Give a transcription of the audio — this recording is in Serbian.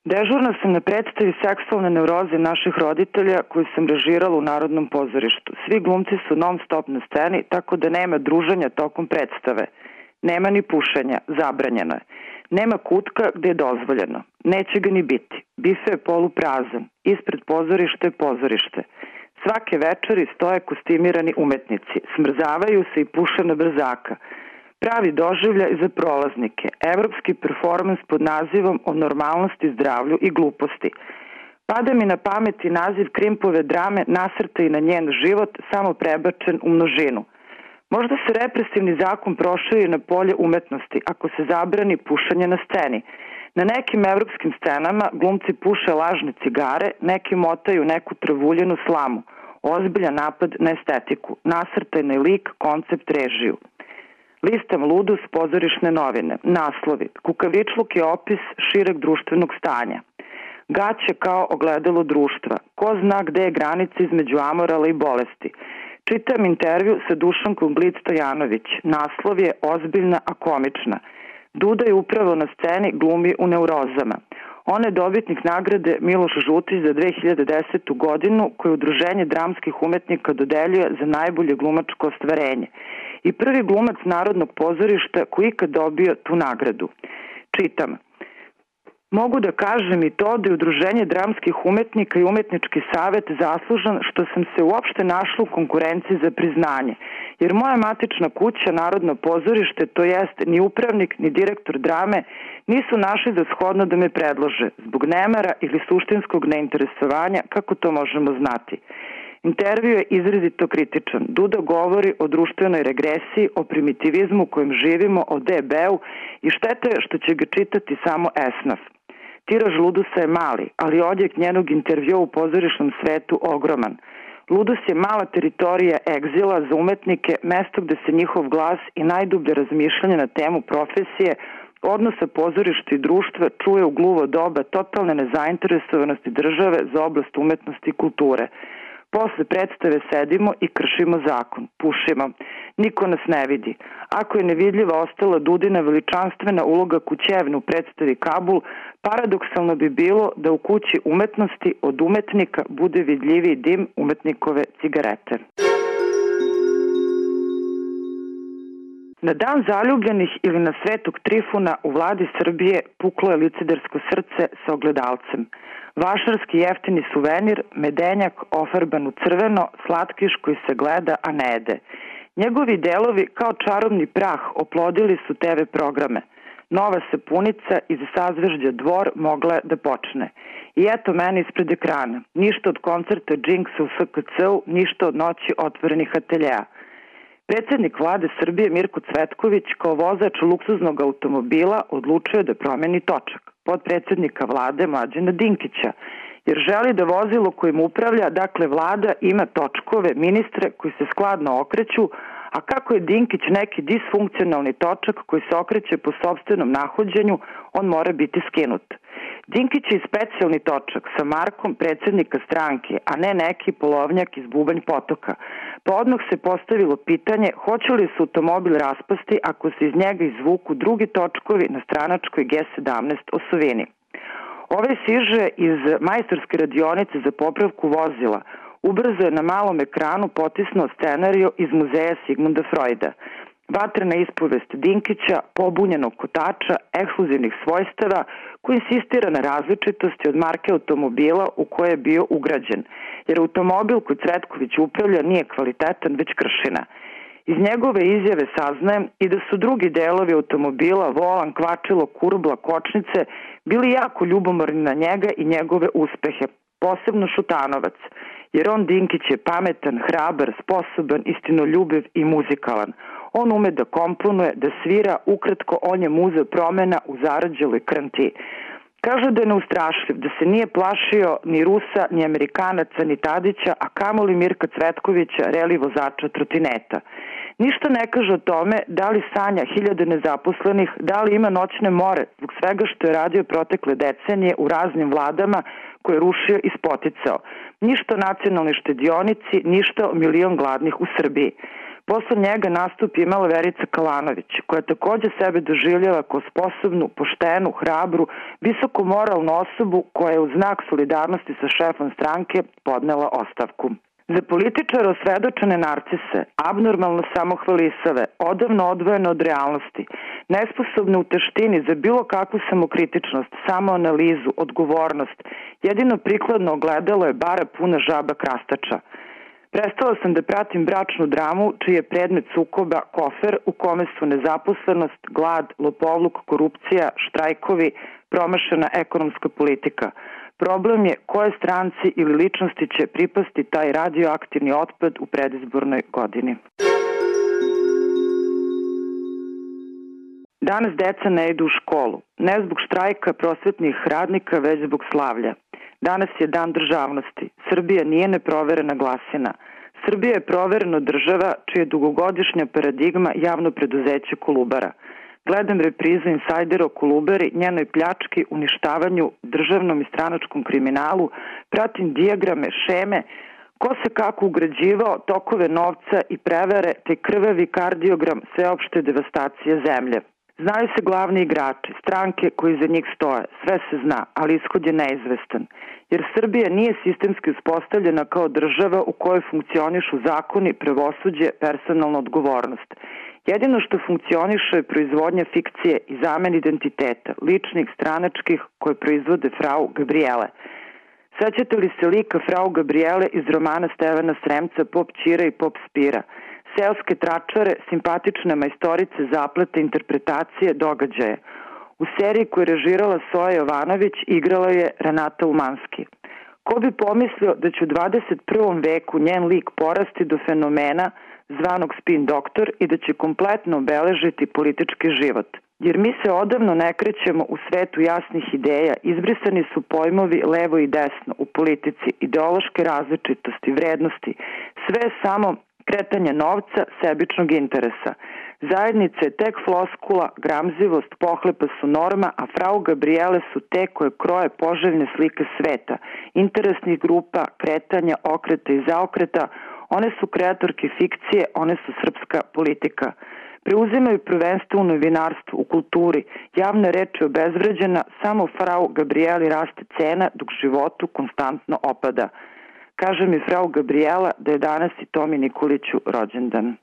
Dežurna sam na predstavi seksualne neuroze naših roditelja koju sam režirala u Narodnom pozorištu. Svi glumci su non stop na sceni, tako da nema druženja tokom predstave. Nema ni pušenja, zabranjeno je. Nema kutka gde je dozvoljeno. Neće ga ni biti. Bife je poluprazan. Ispred pozorišta je pozorište. Svake večeri stoje kostimirani umetnici. Smrzavaju se i puše na brzaka. Pravi doživljaj za prolaznike. Evropski performans pod nazivom o normalnosti, zdravlju i gluposti. Pada mi na pamet i naziv Krimpove drame nasrta i na njen život, samo prebačen u množinu. Možda se represivni zakon proširi na polje umetnosti ako se zabrani pušenje na sceni. Na nekim evropskim scenama glumci puše lažne cigare, neki motaju neku travuljenu slamu. Ozbiljan napad na estetiku, nasrtajni lik, koncept, režiju. Listam ludus, pozorišne novine, naslovi, kukavičluk je opis šireg društvenog stanja. Gaće kao ogledalo društva, ko zna gde je granica između amorala i bolesti. Čitam intervju sa Dušankom Glic-Stojanović, naslov je ozbiljna a komična. Duda je upravo na sceni, glumi u neurozama. Ona je dobitnik nagrade Miloš Žutić za 2010. godinu koju Udruženje dramskih umetnika dodeljuje za najbolje glumačko ostvarenje. I prvi glumac Narodnog pozorišta koji ikad dobio tu nagradu. Čitam. Mogu da kažem i to da je Udruženje dramskih umetnika i Umetnički savet zaslužan što sam se uopšte našla u konkurenciji za priznanje. Jer moja matična kuća, Narodno pozorište, to jest ni upravnik ni direktor drame, nisu našli za shodno da me predlože, zbog nemara ili suštinskog neinteresovanja, kako to možemo znati. Intervju je izrazito kritičan. Duda govori o društvenoj regresiji, o primitivizmu u kojem živimo, o DB-u i šteta je što će ga čitati samo esnaf. Tiraž Ludusa je mali, ali odjek njenog intervjua u pozorišnom svetu ogroman. Ludus je mala teritorija egzila za umetnike, mesto gde se njihov glas i najdublje razmišljanje na temu profesije, odnosa pozorišta i društva čuje u gluvo doba totalne nezainteresovanosti države za oblast umetnosti i kulture. Posle predstave sedimo i kršimo zakon, pušimo. Niko nas ne vidi. Ako je nevidljiva ostala Dudina veličanstvena uloga Kućevne u predstavi Kabul, paradoksalno bi bilo da u kući umetnosti od umetnika bude vidljiviji dim umetnikove cigarete. Na dan zaljubljenih ili na Svetog Trifuna u vladi Srbije puklo je licedarsko srce sa ogledalcem. Vašarski jeftini suvenir, medenjak ofarban u crveno, slatkiš koji se gleda, a ne jede. Njegovi delovi kao čarobni prah oplodili su TV programe. Nova sapunica iz sazvežđa Dvor mogla da počne. I eto mene ispred ekrana. Ništa od koncerta Jinxa u SKC-u, ništa od noći otvorenih ateljeja. Predsednik vlade Srbije Mirko Cvetković kao vozač luksuznog automobila odlučio da promeni točak. Podpredsednika vlade Mlađana Dinkića, jer želi da vozilo kojim upravlja, dakle vlada, ima točkove, ministre koji se skladno okreću, a kako je Dinkić neki disfunkcionalni točak koji se okreće po sopstvenom nahođenju, on mora biti skinut. Dinkić je specijalni točak sa markom predsednika stranke, a ne neki polovnjak iz Bubanj Potoka. Pa odmah se postavilo pitanje hoće li se automobil raspasti ako se iz njega izvuku drugi točkovi na stranačkoj G17 osovini. Ove siže iz majstorske radionice za popravku vozila ubrzo je na malom ekranu potisnuo scenarijo iz muzeja Sigmunda Freuda. Vatrena ispovest Dinkića, pobunjenog kotača, ekskluzivnih svojstava, koji insistira na različitosti od marke automobila u koje je bio ugrađen, jer automobil koji Cvetković upravlja nije kvalitetan, već kršina. Iz njegove izjave saznajem i da su drugi delovi automobila, volan, kvačilo, kurbla, kočnice, bili jako ljubomorni na njega i njegove uspehe, posebno Šutanovac, jer on Dinkić je pametan, hrabar, sposoban, istinoljubiv i muzikalan. On ume da komponuje, da svira, ukratko on je muza promena u zarađeloj krnti. Kažu da je neustrašljiv, da se nije plašio ni Rusa, ni Amerikanaca, ni Tadića, a kamoli Mirka Cvetkovića, reli vozača trotineta. Ništa ne kaže o tome da li sanja hiljade nezaposlenih, da li ima noćne more, zbog svega što je radio protekle decenije u raznim vladama koje je rušio i spoticao. Ništa o nacionalnoj štedionici, ništa o milion gladnih u Srbiji. Posle njega nastup imala Verica Kalanović, koja takođe sebe doživljava kao sposobnu, poštenu, hrabru, visoko moralnu osobu koja je u znak solidarnosti sa šefom stranke podnela ostavku. Za političara osvedočene narcise, abnormalno samohvalisave, odavno odvojene od realnosti, nesposobne u teštini za bilo kakvu samokritičnost, samoanalizu, odgovornost, jedino prikladno ogledalo je bara puna žaba krastača. Prestala sam da pratim bračnu dramu, čiji je predmet sukoba kofer u kome su nezaposlenost, glad, lopovluk, korupcija, štrajkovi, promašena ekonomska politika. Problem je koje stranci ili ličnosti će pripasti taj radioaktivni otpad u predizbornoj godini. Danas deca ne idu u školu, ne zbog štrajka prosvetnih radnika, već zbog slavlja. Danas je dan državnosti. Srbija nije neproverena glasina. Srbija je proverena država čija je dugogodišnja paradigma javno preduzeće Kolubara. Gledam reprizu insajdera o Kolubari, njenoj pljački, uništavanju, državnom i stranačkom kriminalu, pratim dijagrame, šeme, ko se kako ugrađivao, tokove novca i prevare, te krvavi kardiogram sveopšte devastacije zemlje. Znaju se glavni igrači, stranke koji za njih stoje, sve se zna, ali ishod je neizvestan. Jer Srbija nije sistemski uspostavljena kao država u kojoj funkcionišu zakoni, pravosuđe, personalna odgovornost. Jedino što funkcioniše je proizvodnja fikcije i zamen identiteta, ličnih, stranačkih, koje proizvode frau Gabriele. Sećate li se lika frau Gabriele iz romana Stevana Sremca Pop Ćira i Pop Spira? Seoske tračare, simpatične majstorice zaplete interpretacije događaja. U seriji koju je režirala Soja Jovanović igrala je Renata Umanski. Ko bi pomislio da će u 21. veku njen lik porasti do fenomena zvanog spin doktor i da će kompletno obeležiti politički život. Jer mi se odavno ne krećemo u svetu jasnih ideja, izbrisani su pojmovi levo i desno u politici, ideološke različitosti, vrednosti, sve samo kretanje novca, sebičnog interesa. Zajednica je tek floskula, gramzivost, pohlepa su norma, a frau Gabriele su te koje kroje poželjne slike sveta, interesnih grupa, kretanja, okreta i zaokreta. One su kreatorke fikcije, one su srpska politika. Preuzimaju prvenstvo u novinarstvu, u kulturi, javna reč je obezvređena, samo frau Gabrieli raste cena dok životu konstantno opada. Kaže mi frau Gabriela da je danas i Tomi Nikoliću rođendan.